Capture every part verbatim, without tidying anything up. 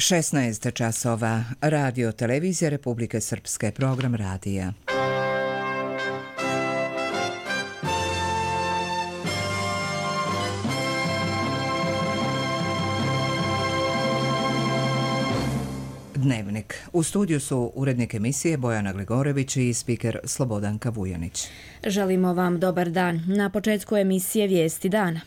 šesnaest časova. Radio Televizija Republike Srpske, program radija. Dnevnik. U studiju su urednik emisije Bojana Gligorević i spiker Slobodanka Vujanić. Želimo vam dobar dan. Na početku emisije Vijesti dana.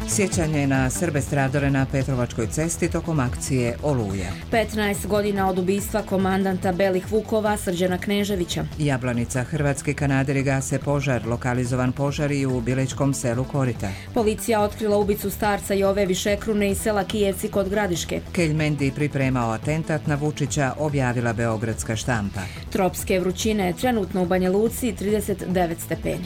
Sjećanje na Srbe stradale na Petrovačkoj cesti tokom akcije Oluja. petnaest godina od ubistva komandanta Belih Vukova Srđana Kneževića. Jablanica. Hrvatski kanaderi gase požar, lokalizovan požar i u Biličkom selu Korita. Policija otkrila ubicu starca Jove Višekrune iz sela Kijevci kod Gradiške. Keljmendi pripremao atentat na Vučića, objavila Beogradska štampa. Tropske vrućine, trenutno u Banja Luci trideset devet stepeni.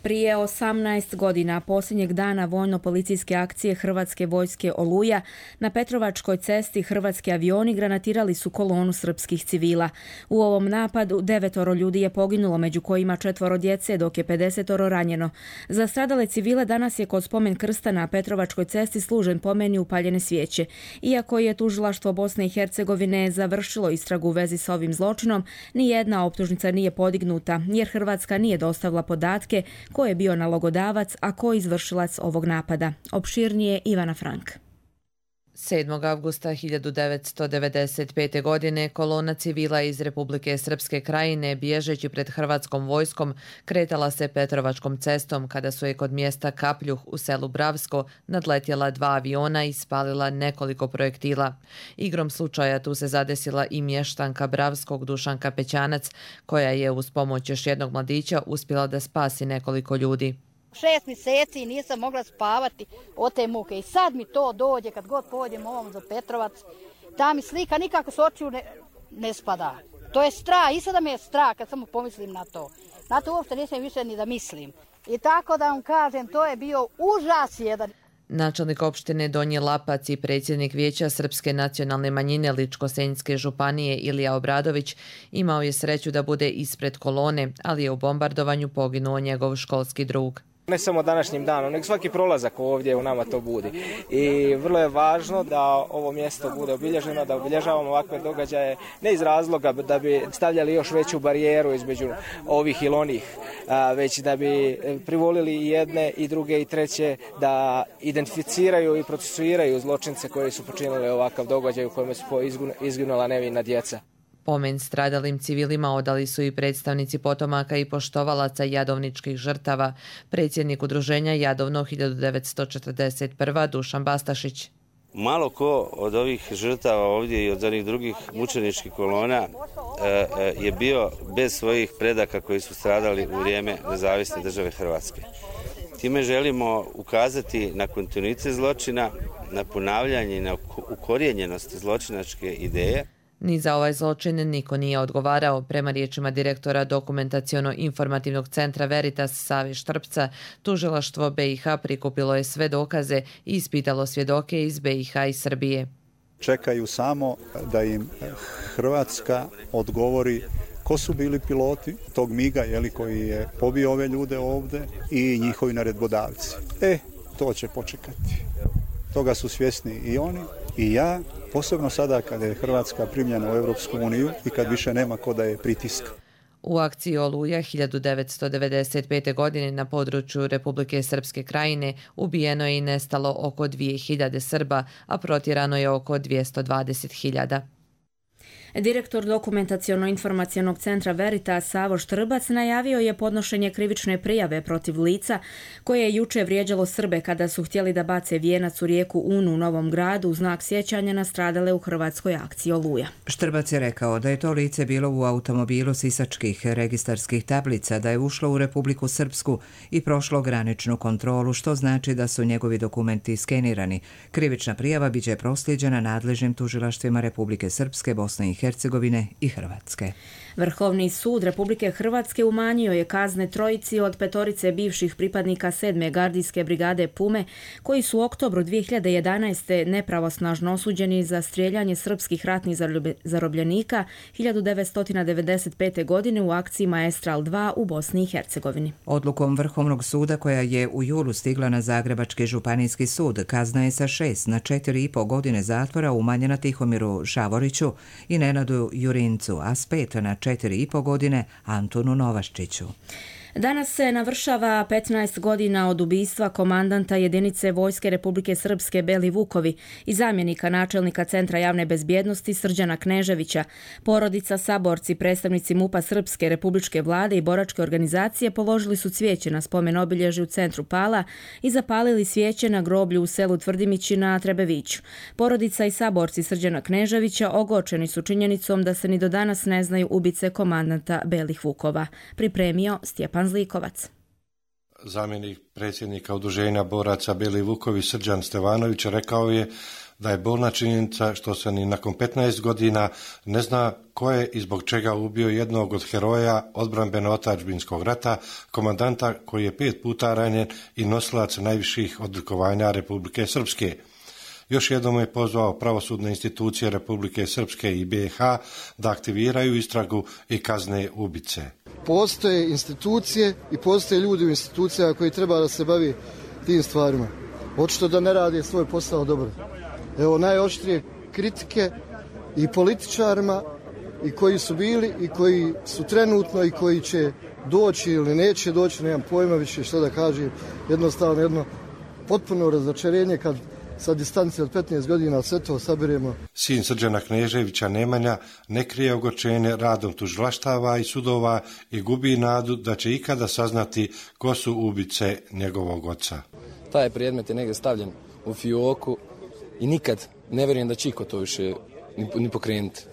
Prije osamnaest godina, posljednjeg dana vojno-policijske akcije Hrvatske vojske Oluja, na Petrovačkoj cesti hrvatski avioni granatirali su kolonu srpskih civila. U ovom napadu devetoro ljudi je poginulo, među kojima četvoro djece, dok je pedesetoro ranjeno. Za stradale civile danas je kod spomen krsta na Petrovačkoj cesti služen pomen i upaljene svijeće. Iako je tužilaštvo Bosne i Hercegovine završilo istragu u vezi sa ovim zločinom, ni jedna optužnica nije podignuta, jer Hrvatska nije dostavila podatke ko je bio nalogodavac, a ko izvršilac ovog napada. Opširnije Ivana Frank. sedmog avgusta hiljadu devetsto devedeset pete. godine kolona civila iz Republike Srpske Krajine, bježeći pred hrvatskom vojskom, kretala se Petrovačkom cestom kada su je kod mjesta Kapljuh u selu Bravsko nadletjela dva aviona i spalila nekoliko projektila. Igrom slučaja tu se zadesila i mještanka Bravskog Dušanka Pećanac, koja je uz pomoć još jednog mladića uspjela da spasi nekoliko ljudi. Šest mjeseci nisam mogla spavati od te muke i sad mi to dođe kad god pođem ovom za Petrovac, ta mi slika nikako s očiju ne, ne spada. To je strah, i sada mi je strah kad samo pomislim na to. Na to uopšte nisam više ni da mislim. I tako da vam kažem, to je bio užas jedan. Načelnik opštine Donji Lapac i predsjednik Vijeća Srpske nacionalne manjine Ličko-senjske županije Ilija Obradović imao je sreću da bude ispred kolone, ali je u bombardovanju poginuo njegov školski drug. Ne samo današnjim danom, nego svaki prolazak ovdje u nama to budi. I vrlo je važno da ovo mjesto bude obilježeno, da obilježavamo ovakve događaje, ne iz razloga da bi stavljali još veću barijeru između ovih ili onih, već da bi privolili i jedne i druge i treće da identificiraju i procesuiraju zločince koji su počinili ovakav događaj u kojem su izginula nevina djeca. Pomen stradalim civilima odali su i predstavnici potomaka i poštovalaca jadovničkih žrtava, predsjednik udruženja Jadovno hiljadu devetsto četrdeset prve. Dušan Bastašić. Malo ko od ovih žrtava ovdje i od onih drugih mučeničkih kolona je bio bez svojih predaka koji su stradali u vrijeme nezavisne države Hrvatske. Time želimo ukazati na kontinuitet zločina, na ponavljanje i na ukorijenjenost zločinačke ideje. Ni za ovaj zločin niko nije odgovarao. Prema riječima direktora Dokumentaciono-informativnog centra Veritas Save Štrpca, tužilaštvo B i H prikupilo je sve dokaze i ispitalo svjedoke iz B i H i Srbije. Čekaju samo da im Hrvatska odgovori ko su bili piloti tog miga, jeli, koji je pobio ove ljude ovdje, i njihovi naredbodavci. E, to će počekati. Toga su svjesni i oni i ja, posebno sada kada je Hrvatska primljena u Europsku uniju i kad više nema ko da je pritiska. U akciji Oluja hiljadu devetsto devedeset pete. godine na području Republike Srpske Krajine ubijeno je i nestalo oko dvije hiljade Srba, a protjerano je oko dvjesto dvadeset hiljada. Direktor Dokumentaciono-informacionog centra Veritas Savo Štrbac najavio je podnošenje krivične prijave protiv lica koje je juče vrijeđalo Srbe kada su htjeli da bace vijenac u rijeku Unu u Novom Gradu u znak sjećanja na stradale u hrvatskoj akciji Oluja. Štrbac je rekao da je to lice bilo u automobilu sisačkih registarskih tablica, da je ušlo u Republiku Srpsku i prošlo graničnu kontrolu, što znači da su njegovi dokumenti skenirani. Krivična prijava biće proslijeđena nadležnim tužilaštvima Republike Srpske, Bosne i Hercegovine Hercegovine i Hrvatske. Vrhovni sud Republike Hrvatske umanjio je kazne trojici od petorice bivših pripadnika sedme gardijske brigade Pume, koji su u oktobru dvije hiljade jedanaeste. nepravosnažno osuđeni za strijeljanje srpskih ratnih zarobljenika hiljadu devetsto devedeset pete. godine u akciji Maestral dva u Bosni i Hercegovini. Odlukom Vrhovnog suda, koja je u julu stigla na Zagrebački županijski sud, kazna je sa šest na četiri i po godine zatvora umanjena Tihomiru Šavoriću i Nenadu Jurincu, a s pet na četiri i po godine Antunu Novaščiću. Danas se navršava petnaest godina od ubistva komandanta jedinice Vojske Republike Srpske Beli Vukovi i zamjenika načelnika Centra javne bezbjednosti Srđana Kneževića. Porodica, saborci, predstavnici MUP-a Srpske, Republičke vlade i boračke organizacije položili su cvijeće na spomen obilježje u centru Pala i zapalili svijeće na groblju u selu Tvrdimići na Trebeviću. Porodica i saborci Srđana Kneževića ogorčeni su činjenicom da se ni do danas ne znaju ubice komandanta Belih Vukova. Pripremio Stjepan Zlikovac. Zamjenik predsjednika Udruženja boraca Beli Vukovi Srđan Stevanović rekao je da je bolna činjenica što se ni nakon petnaest godina ne zna ko je i zbog čega ubio jednog od heroja odbrambeno-otadžbinskog rata, komandanta koji je pet puta ranjen i nosilac najviših odlikovanja Republike Srpske. Još jednom je pozvao pravosudne institucije Republike Srpske i B i H da aktiviraju istragu i kazne ubice. Postoje institucije i postoje ljudi u institucijama koji treba da se bavi tim stvarima. Očito da ne rade svoj posao dobro. Evo najoštrije kritike i političarima i koji su bili i koji su trenutno i koji će doći ili neće doći, nemam pojma više što da kažem. Jednostavno jedno potpuno razočarenje kad sa distancije od petnaest godina sve to sabiremo. Sin Srđana Kneževića Nemanja ne krije ogorčenje radom tužilaštava i sudova i gubi nadu da će ikada saznati ko su ubice njegovog oca. Taj predmet je negdje stavljen u fioku i nikad ne vjerujem da će iko to više ni, ni pokrenuti.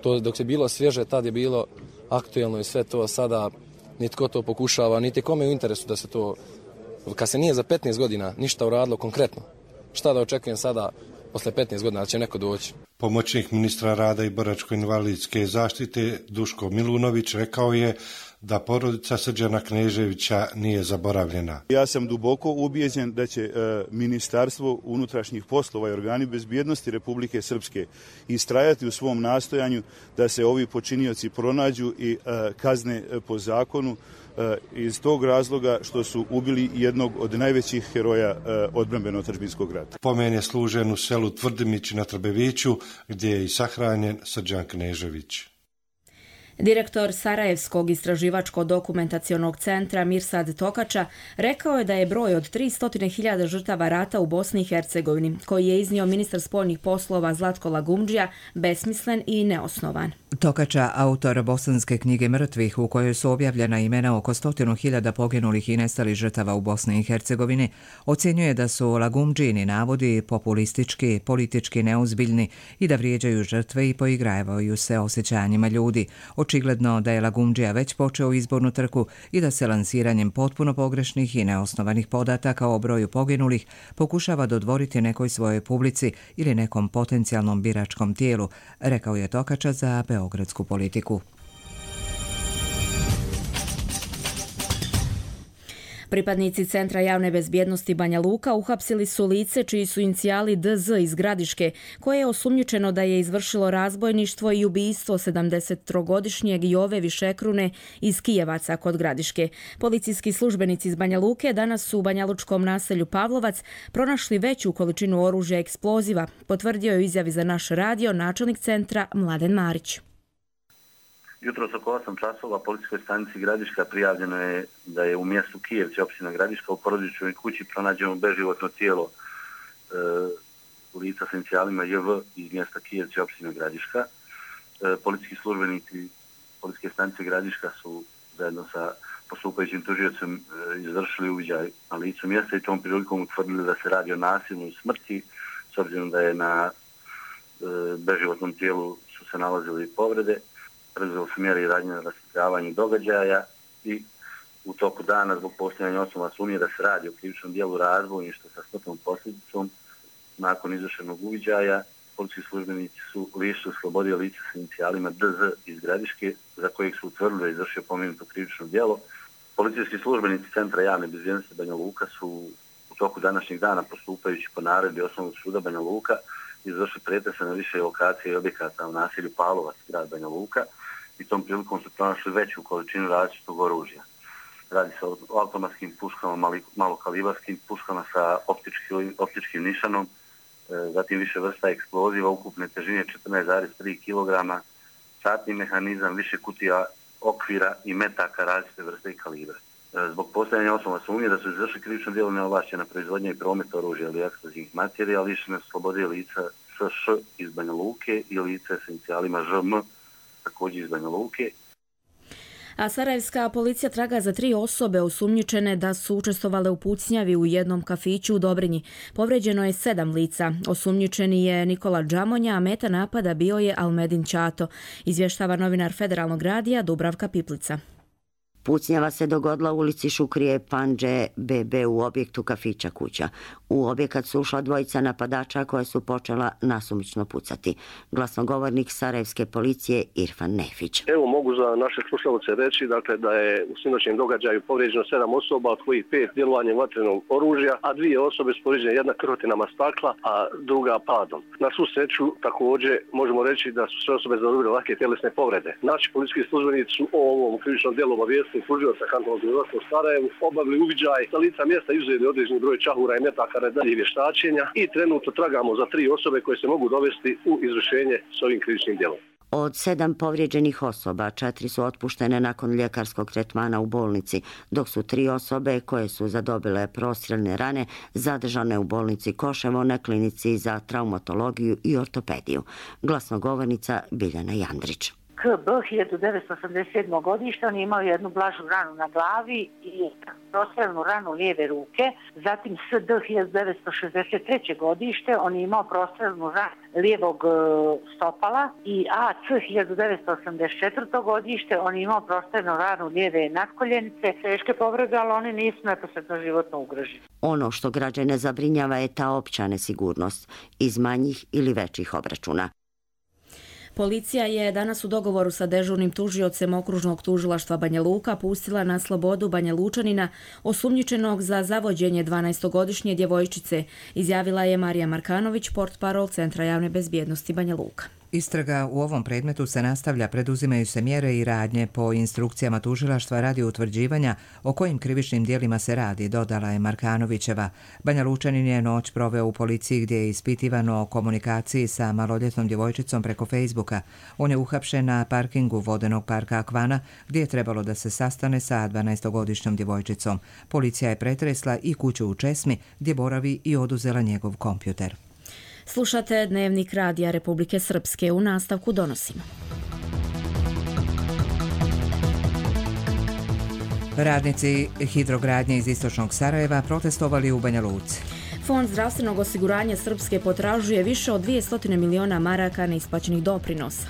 To dok je bilo svježe, tad je bilo aktuelno i sve to, sada nitko to pokušava, niti kome je u interesu da se to, kad se nije za petnaest godina ništa uradilo konkretno. Šta da očekujem sada, posle petnaest godina, da će neko doći? Pomoćnik ministra rada i boračko-invalidske zaštite Duško Milunović rekao je da porodica Srđana Kneževića nije zaboravljena. Ja sam duboko ubijeđen da će e, Ministarstvo unutrašnjih poslova i organi bezbjednosti Republike Srpske istrajati u svom nastojanju da se ovi počinioci pronađu i e, kazne po zakonu, iz tog razloga što su ubili jednog od najvećih heroja odbrambeno-otadžbinskog rata. Pomen je služen u selu Tvrdimić na Trbeviću, gdje je i sahranjen Srđan Knežević. Direktor Sarajevskog istraživačko-dokumentacionog centra Mirsad Tokača rekao je da je broj od tristo hiljada žrtava rata u Bosni i Hercegovini, koji je iznio ministar spoljnih poslova Zlatko Lagumdžija, besmislen i neosnovan. Tokača, autor bosanske knjige mrtvih u kojoj su objavljena imena oko stotinu hiljada poginulih i nestalih žrtava u Bosni i Hercegovini, ocjenjuje da su Lagumdžini navodi populistički, politički neozbiljni i da vrijeđaju žrtve i poigravaju se osjećanjima ljudi. Očigledno da je Lagumdžija već počeo izbornu trku i da se lansiranjem potpuno pogrešnih i neosnovanih podataka o broju poginulih pokušava dodvoriti nekoj svojoj publici ili nekom potencijalnom biračkom tijelu, rekao je Tokača za beogradsku politiku. Pripadnici Centra javne bezbjednosti Banja Luka uhapsili su lice čiji su inicijali D Z iz Gradiške, koje je osumnjičeno da je izvršilo razbojništvo i ubistvo sedamdesettrogodišnjeg Jove Višekrune iz Kijevaca kod Gradiške. Policijski službenici iz Banja Luke danas su u banjalučkom naselju Pavlovac pronašli veću količinu oružja i eksploziva, potvrdio je u izjavi za naš radio načelnik centra Mladen Marić. Jutros oko osam časova policijskoj stanici Gradiška prijavljeno je da je u mjestu Kijevci, opština Gradiška, u porodičnoj kući pronađeno beživotno tijelo e, lica s inicijalima J V iz mjesta Kijevci, opština Gradiška. E, policijski službenici policijske stanice Gradiška su zajedno sa postupajućim tužiocem e, izvršili uviđaj na licu mjesta i tom prilikom utvrdili da se radi o nasilnoj smrti, s obzirom da je na e, beživotnom tijelu su se nalazili povrede. Preduzeli su mjere i radnje na rasvjetljavanju događaja i u toku dana zbog postojanja osnova sumnje da se radi o krivičnom dijelu razbojništva sa smrtnom posljedicom nakon izvršenog uviđaja policijski službenici su lišili slobode lica s inicijalima D Z iz Gradiške, za kojeg su utvrdili da je izvršio pomenuto krivično djelo. Policijski službenici Centra javne bezbjednosti Banja Luka su u toku današnjeg dana, postupajući po naredbi Osnovnog suda Banja Luka, izvršili pretrese na više lokacije i objekata u naselju Pavlovac, grad Banja Luka, i tom prilikom su pronašli veću količinu različitog oružja. Radi se o automatskim puškama, malokalibarskim puškama sa optičkim, optičkim nišanom, zatim više vrsta eksploziva, ukupne težine četrnaest zarez tri kilograma, satni mehanizam, više kutija okvira i metaka različite vrste i kalibra. Zbog postojanja osnova sumnje da su izvršili krivično djelo neovlašćena proizvodnja i promet oružja ili eksplozivnih materija, lišene su slobode lica S Š iz Banja Luke i lice s inicijalima Ž M također iz Banja Luke. A sarajevska policija traga za tri osobe osumnjičene da su učestvovale u pucnjavi u jednom kafiću u Dobrinji. Povređeno je sedam lica. Osumnjičeni je Nikola Džamonja, a meta napada bio je Almedin Ćato, izvještava novinar Federalnog radija Dubravka Piplica. Pucnjava se dogodila u ulici Šukrije Pandže B B u objektu kafića Kuća. U objekat su ušla dvojica napadača koja su počela nasumično pucati. Glasnogovornik sarajevske policije Irfan Nefić. Evo mogu za naše slušalce reći dakle, da je u sinoćnjem događaju povrijeđeno sedam osoba, od kojih pet djelovanjem vatrenog oružja, a dvije osobe su povrijeđene, jedna krvotinama stakla, a druga padom. Na svu sreću također možemo reći da su sve osobe zadobile lake tjelesne povrede. Naši policijski službenici su o ovom krivičnom djelu obavijestili služioca kantonalnog tužilaštva u Sarajevu, obavili uviđaj sa lica mjesta, izuzeli određeni broj čahura i metaka na dalje vještačenja i trenutno tragamo za tri osobe koje se mogu dovesti u izvršenje s ovim krivičnim djelom. Od sedam povrijeđenih osoba, četiri su otpuštene nakon ljekarskog tretmana u bolnici, dok su tri osobe koje su zadobile prostreljne rane zadržane u bolnici Koševo na klinici za traumatologiju i ortopediju. Glasnogovornica Biljana Jandrić. K B hiljadu devetsto osamdeset sedme. godište, on je imao jednu blažu ranu na glavi i prostreljnu ranu lijeve ruke. Zatim S D hiljadu devetsto šezdeset treće. godište, on je imao prostreljnu ranu lijevog stopala i A C hiljadu devetsto osamdeset četvrte. godište, on je imao prostreljnu ranu lijeve natkoljenice. Teške povrede, ali oni nisu neposredno životno ugroženi. Ono što građane zabrinjava je ta opća nesigurnost iz manjih ili većih obračuna. Policija je danas u dogovoru sa dežurnim tužiocem okružnog tužilaštva Banja Luka pustila na slobodu Banja Lučanina osumnjičenog za zavođenje dvanaestogodišnje djevojčice, izjavila je Marija Markanović, portparol Centra javne bezbjednosti Banja Luka. Istraga u ovom predmetu se nastavlja, preduzimaju se mjere i radnje po instrukcijama tužilaštva radi utvrđivanja o kojim krivičnim djelima se radi, dodala je Markanovićeva. Banja Lučanin je noć proveo u policiji gdje je ispitivano o komunikaciji sa maloljetnom djevojčicom preko Facebooka. On je uhapšen na parkingu vodenog parka Akvana gdje je trebalo da se sastane sa dvanaestogodišnjom djevojčicom. Policija je pretresla i kuću u Česmi gdje boravi i oduzela njegov kompjuter. Slušate Dnevnik radija Republike Srpske, u nastavku donosimo. Radnici hidrogradnje iz istočnog Sarajeva protestovali u Banja Luci. Fond zdravstvenog osiguranja Srpske potražuje više od dvjesto miliona maraka neisplaćenih doprinosa.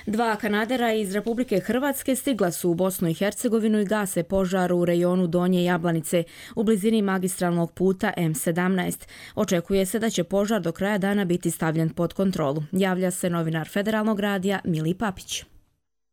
Dva Kanadera iz Republike Hrvatske stigla su u Bosnu i Hercegovinu i gase požar u rejonu Donje Jablanice u blizini magistralnog puta M sedamnaest. Očekuje se da će požar do kraja dana biti stavljen pod kontrolu. Javlja se novinar Federalnog radija Mili Papić.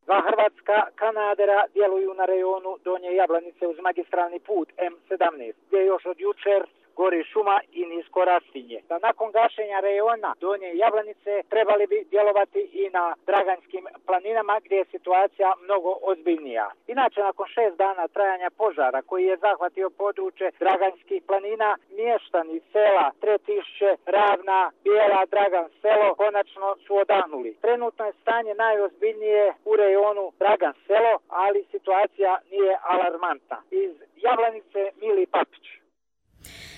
Dva hrvatska Kanadera djeluju na rejonu Donje Jablanice uz magistralni put M sedamnaest, gdje još od jučer gori šuma i nisko rastinje. Da nakon gašenja rejona Donje Jablanice trebali bi djelovati i na Draganskim planinama gdje je situacija mnogo ozbiljnija. Inače, nakon šest dana trajanja požara koji je zahvatio područje Draganskih planina, mještani sela Tretišće, Ravna, Bijela, Dragan selo konačno su odahnuli. Trenutno je stanje najozbiljnije u rejonu Dragan selo, ali situacija nije alarmantna. Iz Jablanice Mili Papić.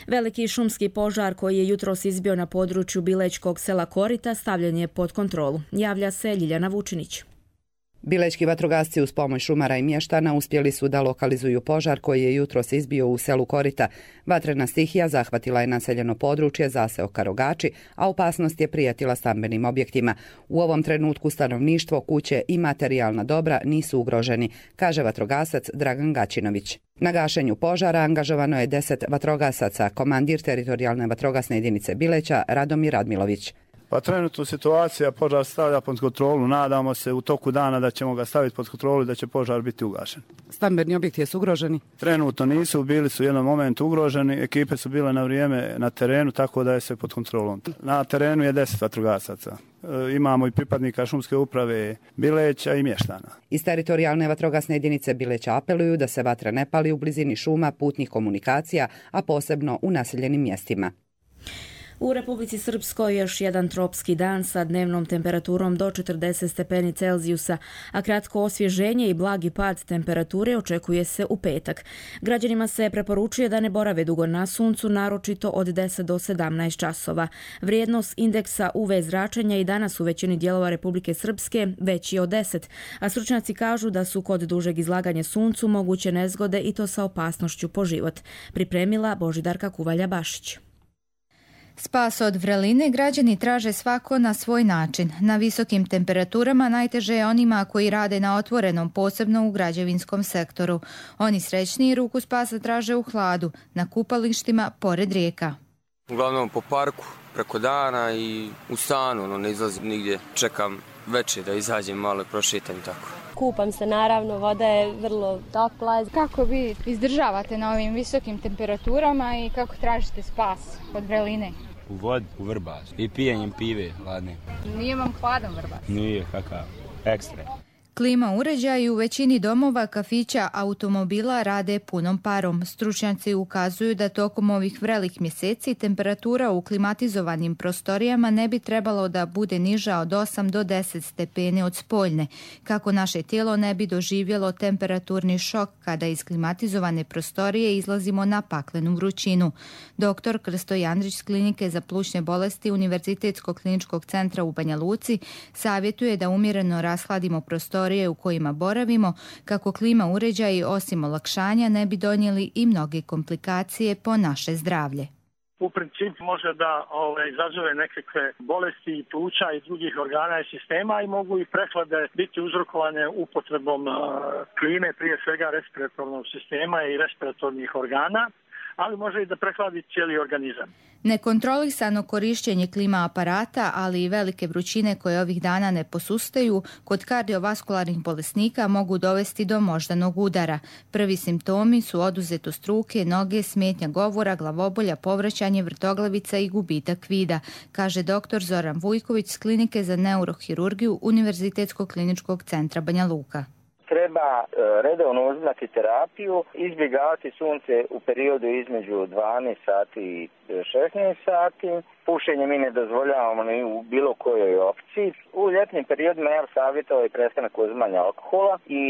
Veliki šumski požar koji je jutros izbio na području Bilečkog sela Korita stavljen je pod kontrolu. Javlja se Ljiljana Vučinić. Bilećki vatrogasci uz pomoć šumara i mještana uspjeli su da lokalizuju požar koji je jutros izbio u selu Korita. Vatrena stihija zahvatila je naseljeno područje zaseoka Rogači, a opasnost je prijetila stambenim objektima. U ovom trenutku stanovništvo, kuće i materijalna dobra nisu ugroženi, kaže vatrogasac Dragan Gaćinović. Na gašenju požara angažovano je deset vatrogasaca, komandir teritorijalne vatrogasne jedinice Bileća Radomir Radmilović. Pa trenutno situacija požar stavlja pod kontrolu. Nadamo se u toku dana da ćemo ga staviti pod kontrolu i da će požar biti ugašen. Stambeni objekti jesu ugroženi? Trenutno nisu, bili su u jednom momentu ugroženi. Ekipe su bile na vrijeme na terenu, tako da je sve pod kontrolom. Na terenu je deset vatrogasaca. E, imamo i pripadnika šumske uprave Bileća i mještana. Iz teritorijalne vatrogasne jedinice Bileća apeluju da se vatra ne pali u blizini šuma, putnih komunikacija, a posebno u naseljenim mjestima. U Republici Srpskoj još jedan tropski dan sa dnevnom temperaturom do četrdeset stepeni Celzijusa, a kratko osvježenje i blagi pad temperature očekuje se u petak. Građanima se preporučuje da ne borave dugo na suncu, naročito od deset do sedamnaest časova. Vrijednost indeksa U V zračenja i danas u većini dijelova Republike Srpske veći od deset, a stručnjaci kažu da su kod dužeg izlaganja suncu moguće nezgode i to sa opasnošću po život. Pripremila Božidarka Kuvalja-Bašić. Spas od vreline građani traže svako na svoj način. Na visokim temperaturama najteže je onima koji rade na otvorenom, posebno u građevinskom sektoru. Oni srećniji ruku spasa traže u hladu, na kupalištima pored rijeka. Uglavnom po parku, preko dana i u stanu, no ne izlazim nigdje. Čekam večer da izađem malo i prošetam tako. Kupam se naravno, voda je vrlo topla. Kako vi izdržavate na ovim visokim temperaturama i kako tražite spas od vreline? U vodi, u Vrbas i pijenjem pive hladne. Nije vam hladan Vrbas? Nije, kakav, ekstra. Klima uređaji u većini domova, kafića, automobila rade punom parom. Stručnjaci ukazuju da tokom ovih vrelih mjeseci temperatura u klimatizovanim prostorijama ne bi trebalo da bude niža od osam do deset stepeni od spoljne, kako naše tijelo ne bi doživjelo temperaturni šok kada iz klimatizovane prostorije izlazimo na paklenu vrućinu. Doktor Krsto Jandrić s Klinike za plućne bolesti Univerzitetskog kliničkog centra u Banja Luci savjetuje da umjereno rashladimo prostorije u kojima boravimo, kako klima uređaji osim olakšanja ne bi donijeli i mnoge komplikacije po naše zdravlje. U principu može da ove, izazove nekakve bolesti i pluća i drugih organa i sistema i mogu i prehlade biti uzrokovane upotrebom uh, klime, prije svega respiratornog sistema i respiratornih organa, ali može i da prehladi cijeli organizam. Nekontrolisano korištenje klima aparata, ali i velike vrućine koje ovih dana ne posustaju, kod kardiovaskularnih bolesnika mogu dovesti do moždanog udara. Prvi simptomi su oduzetost ruke, noge, smetnja govora, glavobolja, povraćanje, vrtoglavica i gubitak vida, kaže doktor Zoran Vujković s Klinike za neurohirurgiju Univerzitetskog kliničkog centra Banja Luka. Treba redovno uzimati terapiju, izbjegavati sunce u periodu između dvanaest sati i šesnaest sati. Pušenje mi ne dozvoljavamo ni u bilo kojoj opciji. U ljetnim periodima ja savjetovao i prestanak uzimanja alkohola i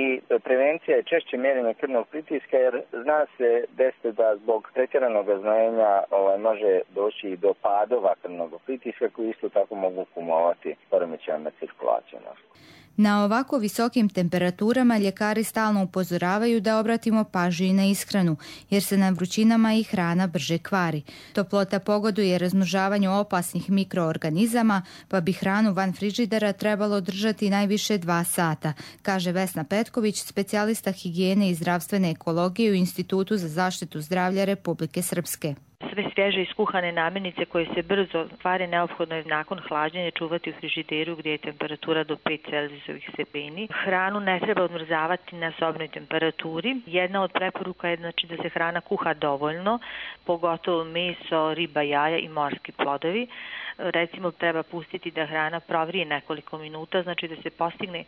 prevencija je češće mjerenje krvnog pritiska, jer zna se desiti da zbog pretjeranog znojenja ovaj, može doći i do padova krvnog pritiska koji isto tako mogu kumovati poremećajima cirkulacije. Na ovako visokim temperaturama ljekari stalno upozoravaju da obratimo pažnju i na ishranu, jer se na vrućinama i hrana brže kvari. Toplota pogoduje razmnožavanju opasnih mikroorganizama, pa bi hranu van frižidera trebalo držati najviše dva sata, kaže Vesna Petković, specijalista higijene i zdravstvene ekologije u Institutu za zaštitu zdravlja Republike Srpske. Sve svježe iskuhane namirnice koje se brzo kvare neophodno je nakon hlađenja čuvati u frižideru gdje je temperatura do pet Celzijusovih stepeni. Hranu ne treba odmrzavati na sobnoj temperaturi. Jedna od preporuka je znači da se hrana kuha dovoljno, pogotovo meso, riba, jaja i morski plodovi. Recimo treba pustiti da hrana provrije nekoliko minuta, znači da se postigne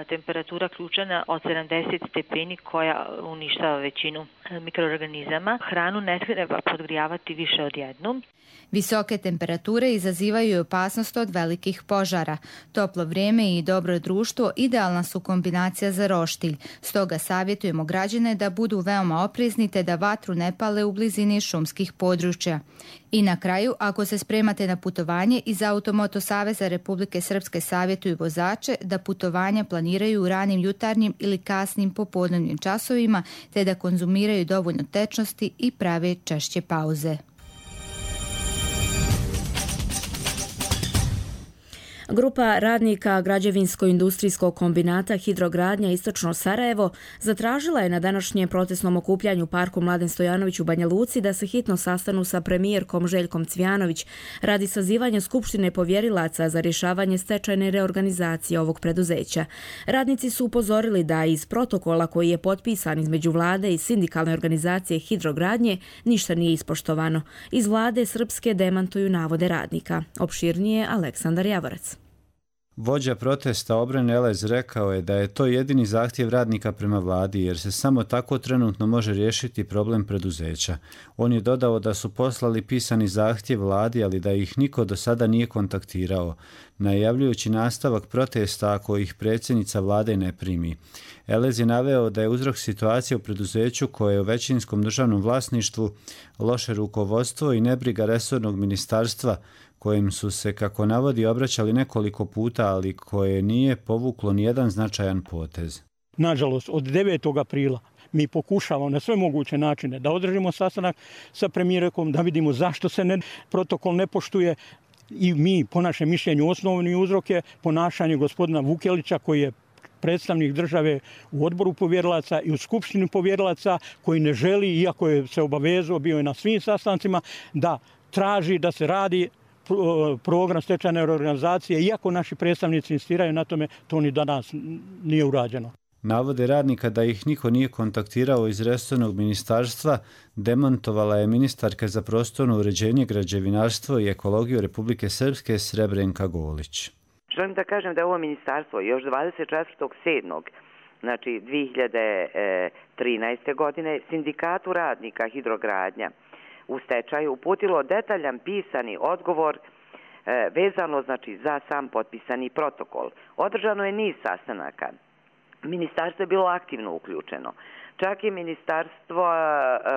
temperatura ključana od sedamdeset stepeni koja uništava većinu mikroorganizama. Hranu ne treba podgrijavati više od jednom. Visoke temperature izazivaju opasnost od velikih požara. Toplo vrijeme i dobro društvo idealna su kombinacija za roštilj. Stoga savjetujemo građane da budu veoma oprezni te da vatru ne pale u blizini šumskih područja. I na kraju, ako se spremate na putovanje, iz Automoto Saveza Republike Srpske savjetuju vozače da putovanja planiraju u ranim jutarnjim ili kasnim popodnevnim časovima, te da konzumiraju dovoljno tečnosti i prave češće pauze. Grupa radnika građevinsko-industrijskog kombinata Hidrogradnja Istočno Sarajevo zatražila je na današnjem protestnom okupljanju u parku Mladen Stojanović u Banja Luci da se hitno sastanu sa premijerkom Željkom Cvijanović radi sazivanja skupštine povjerilaca za rješavanje stečajne reorganizacije ovog preduzeća. Radnici su upozorili da iz protokola koji je potpisan između vlade i sindikalne organizacije Hidrogradnje ništa nije ispoštovano. Iz vlade srpske demantuju navode radnika. Opširnije Aleksandar Javorac. Vođa protesta Obren Elez rekao je da je to jedini zahtjev radnika prema vladi, jer se samo tako trenutno može riješiti problem preduzeća. On je dodao da su poslali pisani zahtjev vladi, ali da ih niko do sada nije kontaktirao, najavljujući nastavak protesta ako ih predsjednica vlade ne primi. Elez je naveo da je uzrok situacije u preduzeću koje je u većinskom državnom vlasništvu loše rukovodstvo i nebriga resornog ministarstva, kojim su se, kako navodi, obraćali nekoliko puta, ali koje nije povuklo nijedan značajan potez. Nažalost, od devetog aprila mi pokušavamo na sve moguće načine da održimo sastanak sa premijerkom, da vidimo zašto se ne, protokol ne poštuje i mi, po našem mišljenju, osnovni uzrok je ponašanje gospodina Vukelića, koji je predstavnik države u odboru povjerilaca i u skupštini povjerilaca, koji ne želi, iako je se obavezao, bio je na svim sastancima, da traži da se radi program stečajne reorganizacije, iako naši predstavnici insistiraju na tome, to ni danas nije urađeno. Navode radnika da ih niko nije kontaktirao iz resornog ministarstva demantovala je ministarka za prostorno uređenje, građevinarstvo i ekologiju Republike Srpske Srebrenka Golić. Želim da kažem da je ovo ministarstvo još dvadeset četvrtog sedmog znači dvije hiljade trinaeste. godine sindikatu radnika Hidrogradnja u stečaju uputilo detaljan pisani odgovor e, vezano znači za sam potpisani protokol. Održano je niz sastanaka. Ministarstvo je bilo aktivno uključeno. Čak i ministarstvo,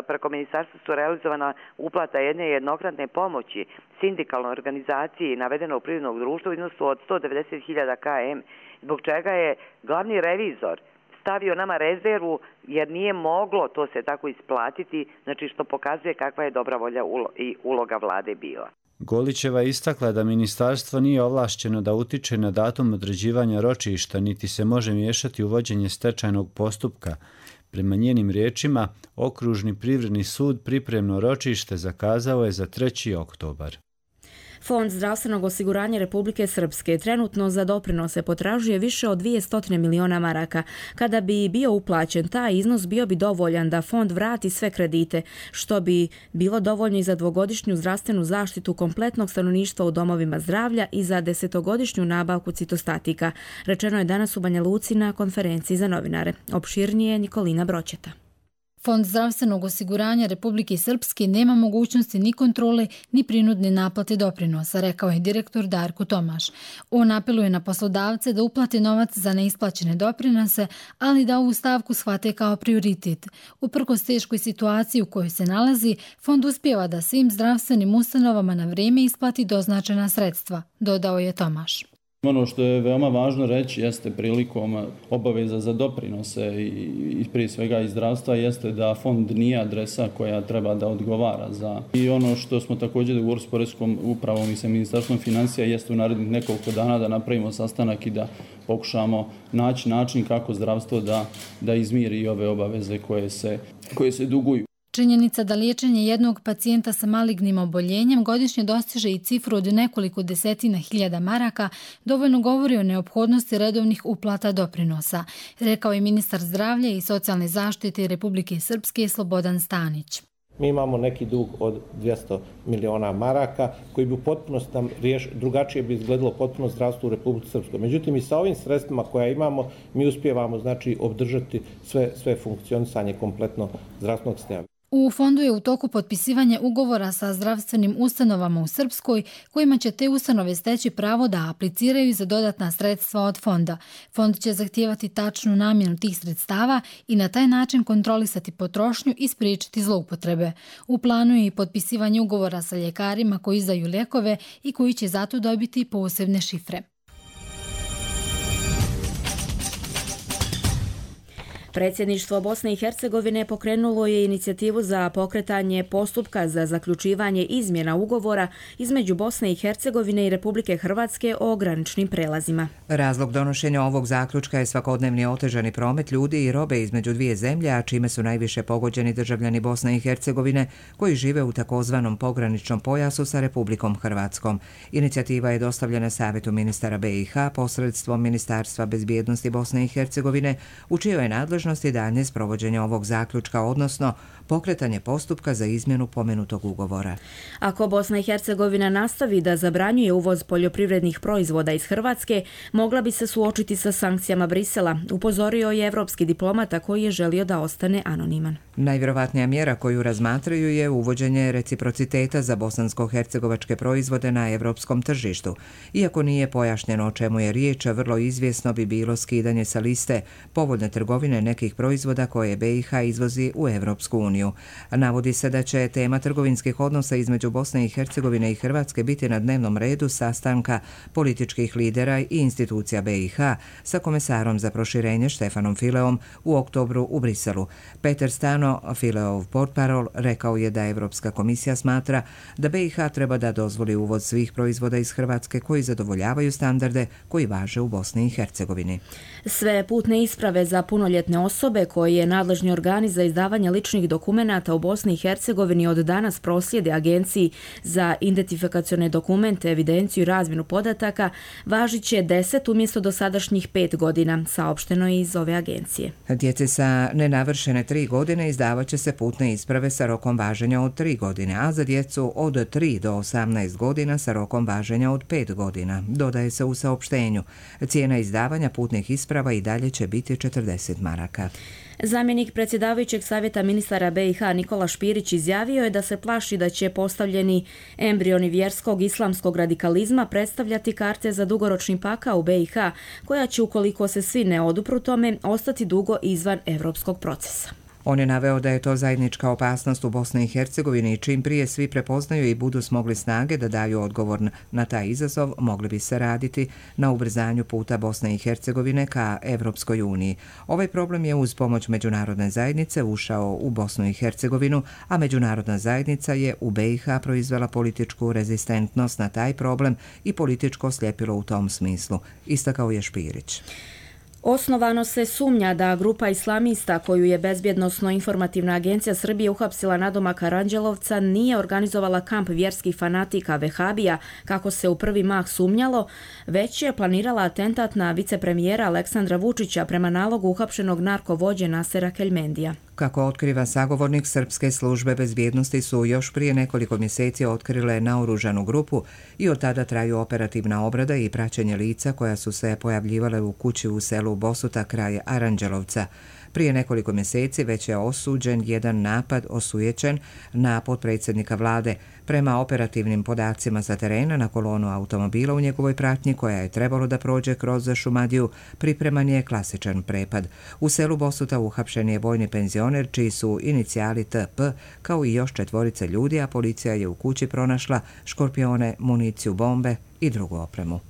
preko ministarstva su realizovana uplata jedne jednokratne pomoći sindikalnoj organizaciji navedeno u privrednog društva u iznosu od sto devedeset hiljada km, zbog čega je glavni revizor stavio nama rezervu jer nije moglo to se tako isplatiti, znači što pokazuje kakva je dobra volja i uloga vlade bila. Golićeva je istakla da ministarstvo nije ovlašćeno da utiče na datum određivanja ročišta, niti se može miješati u vođenje stečajnog postupka. Prema njenim riječima, Okružni privredni sud pripremno ročište zakazao je za treći oktobar. Fond zdravstvenog osiguranja Republike Srpske trenutno za doprinose potražuje više od dvjesto miliona maraka. Kada bi bio uplaćen, taj iznos bio bi dovoljan da fond vrati sve kredite, što bi bilo dovoljno i za dvogodišnju zdravstvenu zaštitu kompletnog stanovništva u domovima zdravlja i za desetogodišnju nabavku citostatika. Rečeno je danas u Banja Luci na konferenciji za novinare. Opširnije Nikolina Broćeta. Fond zdravstvenog osiguranja Republike Srpske nema mogućnosti ni kontrole ni prinudne naplate doprinosa, rekao je direktor Darko Tomaš. On apeluje na poslodavce da uplate novac za neisplaćene doprinose, ali da ovu stavku shvate kao prioritet. Uprkos teškoj situaciji u kojoj se nalazi, fond uspijeva da svim zdravstvenim ustanovama na vrijeme isplati doznačena sredstva, dodao je Tomaš. Ono što je veoma važno reći jeste prilikom obaveza za doprinose i prije svega iz zdravstva jeste da fond nije adresa koja treba da odgovara za. I ono što smo također dogovorili s Poreskom upravom i sa Ministarstvom financija jeste u narednih nekoliko dana da napravimo sastanak i da pokušamo naći način kako zdravstvo da, da izmiri i ove obaveze koje se, koje se duguju. Činjenica da liječenje jednog pacijenta sa malignim oboljenjem godišnje dostiže i cifru od nekoliko desetina hiljada maraka dovoljno govori o neophodnosti redovnih uplata doprinosa, rekao je ministar zdravlja i socijalne zaštite Republike Srpske Slobodan Stanić. Mi imamo neki dug od dvjesto miliona maraka koji bi u potpunosti nam riješ, drugačije bi izgledalo potpuno zdravstvo u Republici Srpskoj. Međutim, i sa ovim sredstvima koja imamo, mi uspijevamo znači obdržati sve, sve funkcionisanje kompletno zdravstvenog sistema. U fondu je u toku potpisivanje ugovora sa zdravstvenim ustanovama u Srpskoj, kojima će te ustanove steći pravo da apliciraju za dodatna sredstva od fonda. Fond će zahtijevati tačnu namjenu tih sredstava i na taj način kontrolisati potrošnju i spriječiti zloupotrebe. U planu je i potpisivanje ugovora sa ljekarima koji izdaju lijekove i koji će zato dobiti posebne šifre. Predsjedništvo Bosne i Hercegovine pokrenulo je inicijativu za pokretanje postupka za zaključivanje izmjena ugovora između Bosne i Hercegovine i Republike Hrvatske o graničnim prelazima. Razlog donošenja ovog zaključka je svakodnevni otežani promet ljudi i robe između dvije zemlje, a čime su najviše pogođeni državljani Bosne i Hercegovine koji žive u takozvanom pograničnom pojasu sa Republikom Hrvatskom. Inicijativa je dostavljena Savjetu ministara B i H posredstvom Ministarstva bezbjednosti Bosne i Hercegovine, u čijoj je nadležnosti daljnje sprovođenje ovog zaključka, odnosno pokretanje postupka za izmjenu pomenutog ugovora. Ako Bosna i Hercegovina nastavi da zabranjuje uvoz poljoprivrednih proizvoda iz Hrvatske, mogla bi se suočiti sa sankcijama Brisela, upozorio je evropski diplomata koji je želio da ostane anoniman. Najvjerovatnija mjera koju razmatraju je uvođenje reciprociteta za bosansko-hercegovačke proizvode na evropskom tržištu. Iako nije pojašnjeno o čemu je riječ, vrlo izvjesno bi bilo skidanje sa liste povoljne trgovine nekih proizvoda koje B i H izvozi u Evropsku uniju. Navodi se da će tema trgovinskih odnosa između Bosne i Hercegovine i Hrvatske biti na dnevnom redu sastanka političkih lidera i institucija B i H sa komesarom za proširenje Štefanom Fileom u oktobru u Briselu. Peter Stano, Fileov portparol, rekao je da Evropska komisija smatra da B i H treba da dozvoli uvoz svih proizvoda iz Hrvatske koji zadovoljavaju standarde koji važe u Bosni i Hercegovini. Sve putne isprave za punoljetne osobe koje je nadležni organi za izdavanje ličnih dokumenata u Bosni i Hercegovini od danas proslijede Agenciji za identifikacione dokumente, evidenciju i razmjenu podataka, važit će deset umjesto dosadašnjih pet godina, saopšteno je iz ove agencije. Djeci sa nenavršene tri godine izdavat će se putne isprave sa rokom važenja od tri godine, a za djecu od tri do osamnaest godina sa rokom važenja od pet godina, dodaje se u saopštenju. Cijena izdavanja putnih isprava i dalje će biti četrdeset maraka. Zamjenik predsjedavajućeg savjeta ministara B i H Nikola Špirić izjavio je da se plaši da će postavljeni embrioni vjerskog islamskog radikalizma predstavljati karte za dugoročni pakao u B i H, koja će, ukoliko se svi ne odupru tome, ostati dugo izvan evropskog procesa. On je naveo da je to zajednička opasnost u Bosni i Hercegovini i čim prije svi prepoznaju i budu smogli snage da daju odgovor na taj izazov, mogli bi se raditi na ubrzanju puta Bosne i Hercegovine ka Evropskoj uniji. Ovaj problem je uz pomoć međunarodne zajednice ušao u Bosnu i Hercegovinu, a međunarodna zajednica je u B i H proizvela političku rezistentnost na taj problem i političko sljepilo u tom smislu, istakao je Špirić. Osnovano se sumnja da grupa islamista koju je Bezbjednosno-informativna agencija Srbije uhapsila nadomak Aranđelovca nije organizovala kamp vjerskih fanatika Vehabija, kako se u prvi mah sumnjalo, već je planirala atentat na vicepremijera Aleksandra Vučića prema nalogu uhapšenog narkovođe Nasera Keljmendija. Kako otkriva sagovornik, srpske službe bezbjednosti su još prije nekoliko mjeseci otkrile naoružanu grupu i od tada traju operativna obrada i praćenje lica koja su se pojavljivale u kući u selu Bosuta kraj Aranđelovca. Prije nekoliko mjeseci već je osuđen jedan napad osujećen na potpredsjednika vlade. Prema operativnim podacima sa terena, na kolonu automobila u njegovoj pratnji koja je trebalo da prođe kroz Šumadiju, pripreman je klasičan prepad. U selu Bosuta uhapšen je vojni penzioner čiji su inicijali T P, kao i još četvorice ljudi, a policija je u kući pronašla škorpione, municiju, bombe i drugu opremu.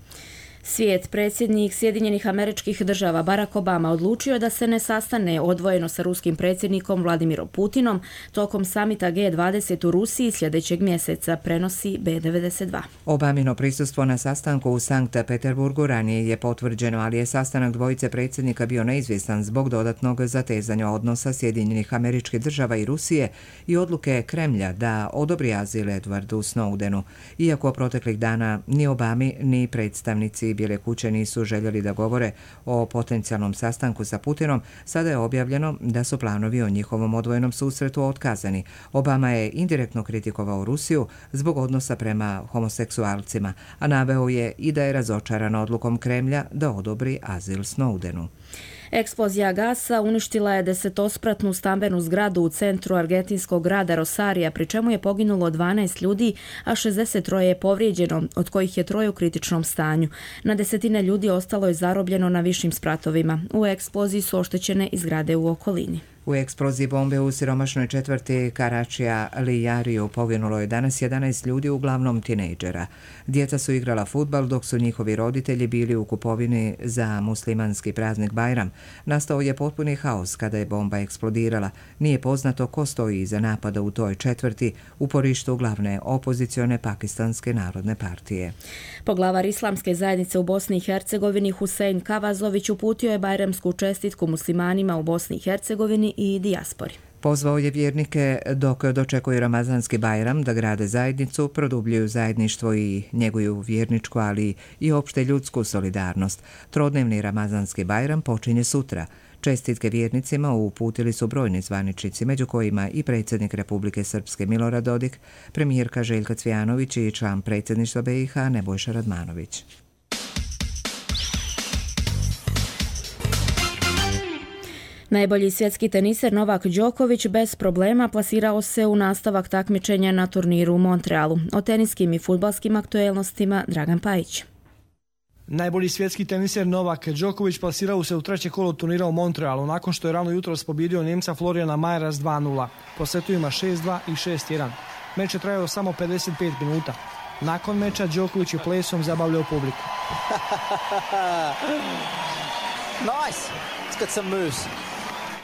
Svijet, predsjednik Sjedinjenih Američkih Država Barack Obama odlučio da se ne sastane odvojeno sa ruskim predsjednikom Vladimirom Putinom tokom samita G dvadeset u Rusiji sljedećeg mjeseca, prenosi B devedeset dva. Obamino prisustvo na sastanku u Sankt Peterburgu ranije je potvrđeno, ali je sastanak dvojice predsjednika bio neizvjestan zbog dodatnog zatezanja odnosa Sjedinjenih Američkih Država i Rusije i odluke Kremlja da odobri azil Edwardu Snowdenu. Iako proteklih dana ni Obami ni predstavnici Bijele kuće nisu željeli da govore o potencijalnom sastanku sa Putinom, sada je objavljeno da su planovi o njihovom odvojenom susretu otkazani. Obama je indirektno kritikovao Rusiju zbog odnosa prema homoseksualcima, a naveo je i da je razočaran odlukom Kremlja da odobri azil Snowdenu. Eksplozija gasa uništila je desetospratnu stambenu zgradu u centru argentinskog grada Rosarija, pri čemu je poginulo dvanaest ljudi, a šezdeset troje je povrijeđeno, od kojih je troje u kritičnom stanju. Na desetine ljudi ostalo je zarobljeno na višim spratovima. U eksploziji su oštećene i zgrade u okolini. U eksploziji bombe u siromašnoj četvrti Karačija Lijariju poginulo je danas jedanaest ljudi, uglavnom tinejdžera. Djeca su igrala fudbal dok su njihovi roditelji bili u kupovini za muslimanski praznik Bajram. Nastao je potpuni haos kada je bomba eksplodirala. Nije poznato ko stoji iza napada u toj četvrti, uporištu glavne opozicione Pakistanske narodne partije. Poglavar Islamske zajednice u Bosni i Hercegovini Husein Kavazović uputio je bajramsku čestitku muslimanima u Bosni i Hercegovini i dijaspori. Pozvao je vjernike dok dočekuju Ramazanski Bajram da grade zajednicu, produbljuju zajedništvo i njeguju vjerničku, ali i opšte ljudsku solidarnost. Trodnevni Ramazanski Bajram počinje sutra. Čestitke vjernicima uputili su brojni zvaničnici, među kojima i predsjednik Republike Srpske Milorad Dodik, premijerka Željka Cvijanović i član predsjedništva B i H Nebojša Radmanović. Najbolji svjetski teniser Novak Đoković bez problema plasirao se u nastavak takmičenja na turniru u Montrealu. O teniskim i fudbalskim aktuelnostima Dragan Pajić. Najbolji svjetski teniser Novak Đoković plasirao se u treće kolo turnira u Montrealu nakon što je rano jutros pobjedio Njemca Florijana Majera s dva nula. Po setovima šest dva i šest jedan. Meč je trajao samo pedeset pet minuta. Nakon meča Đoković je plesom zabavljao publiku. Nice. It's got some moves.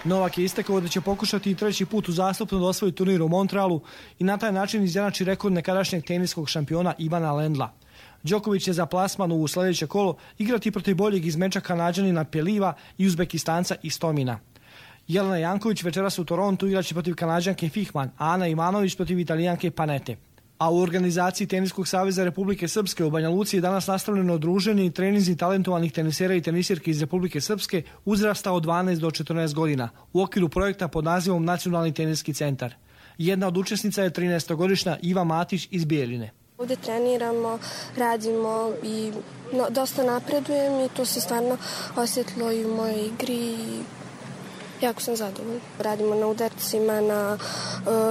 Novak je istakao da će pokušati i treći put uzastopno da osvoji turnir u Montrealu i na taj način izjednači rekord nekadašnjeg teniskog šampiona Ivana Lendla. Đoković će za plasman u sljedeće kolo igrati protiv boljeg izmeča Kanađanina Peliva i Uzbekistanca Istomina. Jelena Janković večeras u Torontu igraće protiv Kanađanke Fihman, a Ana Ivanović protiv Italijanke Panete. A u organizaciji Teniskog saveza Republike Srpske u Banja Luci je danas nastavljeno druženje i treninzi talentovanih tenisera i tenisirki iz Republike Srpske uzrasta od dvanaest do četrnaest godina u okviru projekta pod nazivom Nacionalni teniski centar. Jedna od učesnica je trinaestogodišnja Iva Matić iz Bijeljine. Ovdje treniramo, radimo i no, dosta napredujem i to se stvarno osjetilo i u mojoj igri. Jako sam zadovoljna. Radimo na udarcima, na,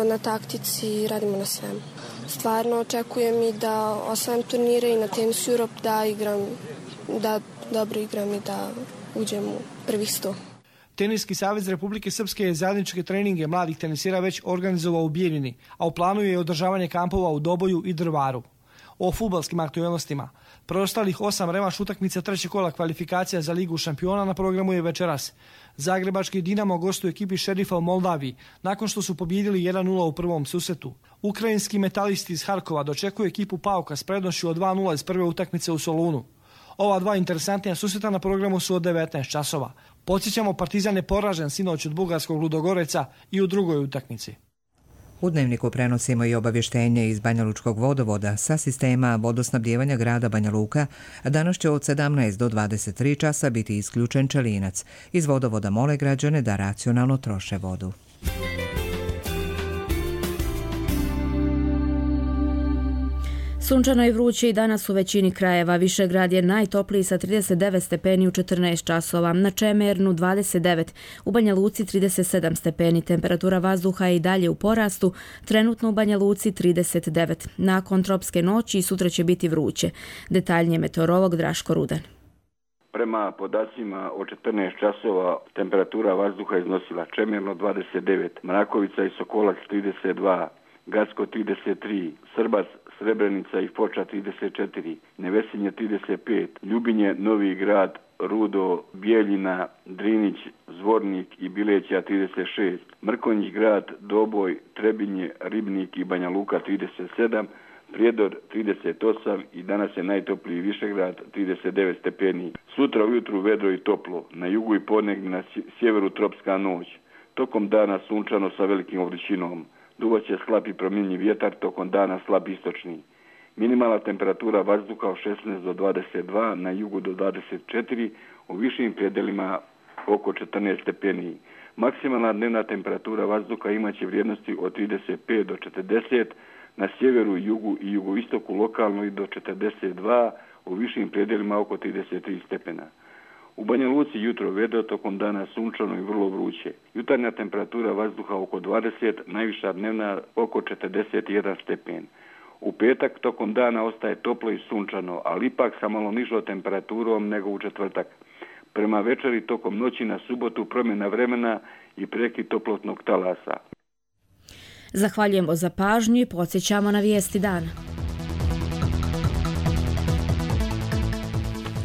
na taktici, radimo na svemu. Stvarno očekujem i da osvajam turnire i na Tennis Europe da igram, da dobro igram i da uđem u prvih sto. Teniski savez Republike Srpske je zajedničke treninge mladih tenisira već organizovao u Bijeljini, a u planu je održavanje kampova u Doboju i Drvaru. O fudbalskim aktuelnostima. Preostalih osam revanš utakmica trećeg kola kvalifikacija za Ligu šampiona na programu je večeras. Zagrebački Dinamo gostuje ekipi Šerifa u Moldaviji, nakon što su pobjedili jedan nula u prvom susretu. Ukrajinski metalisti iz Harkova dočekuju ekipu Pauka s prednošću od dva nula iz prve utakmice u Solunu. Ova dva interesantnija susreta na programu su od devetnaest časova. Podsjećamo, Partizan je poražen sinoć od bugarskog Ludogoreca i u drugoj utakmici. U Dnevniku prenosimo i obavještenje iz Banjalučkog vodovoda sa sistema vodosnabdijevanja grada Banja Luka. Danas će od sedamnaest do dvadeset tri časa biti isključen čelinac. Iz vodovoda mole građane da racionalno troše vodu. Sunčano i vruće i danas u većini krajeva. Višegrad je najtopliji sa trideset devet stepeni u četrnaest časova, na Čemernu dvadeset devet, u Banja Luci trideset sedam stepeni. Temperatura vazduha je i dalje u porastu, trenutno u Banja Luci trideset devet. Nakon tropske noći sutra će biti vruće. Detaljnije meteorolog Draško Rudan. Prema podacima od četrnaest časova temperatura vazduha iznosila Čemerno dvadeset devet, Mrakovica i Sokolac trideset dva, Gacko trideset tri, Srbac, Srebrenica i Foča trideset četiri, Nevesinje trideset pet, Ljubinje, Novi Grad, Rudo, Bijeljina, Drinić, Zvornik i Bileća trideset šest, Mrkonjić Grad, Doboj, Trebinje, Ribnik i Banja Luka trideset sedam, Prijedor trideset osam i danas je najtopliji Višegrad trideset devet stepeni. Sutra ujutru vedro i toplo, na jugu i podnegnje, na sjeveru tropska noć. Tokom dana sunčano sa velikim vrućinom. Duvaće slab i promjenjiv vjetar, tokom dana slab istočni. Minimalna temperatura vazduha od šesnaest do dvadeset dva, na jugu do dvadeset četiri, u višim predelima oko četrnaest stepeni. Maksimalna dnevna temperatura vazduha imaće vrijednosti od trideset pet do četrdeset, na sjeveru, jugu i jugoistoku lokalno i do četrdeset dva, u višim predelima oko trideset tri stepena. U Banja Luci jutro vedro, tokom dana sunčano i vrlo vruće. Jutarnja temperatura vazduha oko dvadeset, najviša dnevna oko četrdeset jedan stepen. U petak tokom dana ostaje toplo i sunčano, ali ipak sa malo nižom temperaturom nego u četvrtak. Prema večeri tokom noći na subotu promjena vremena i prekid toplotnog talasa. Zahvaljujemo za pažnju i podsjećamo na vijesti dana.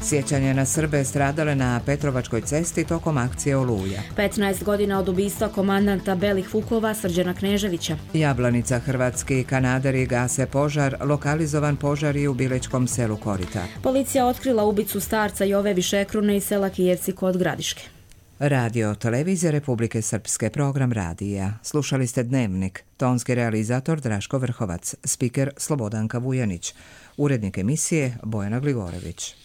Sjećanje na Srbe stradale na Petrovačkoj cesti tokom akcije Oluja. petnaest godina od ubistva komandanta Belih Vukova Srđana Kneževića. Jablanica, hrvatski kanaderi gase požar, lokalizovan požar i u Bilečkom selu Korita. Policija otkrila ubicu starca Jove Višekrune iz sela Kijevci kod Gradiške. Radio Televizija Republike Srpske, program radija. Slušali ste Dnevnik, tonski realizator Draško Vrhovac, spiker Slobodanka Vujanić, urednik emisije Bojana Gligorević.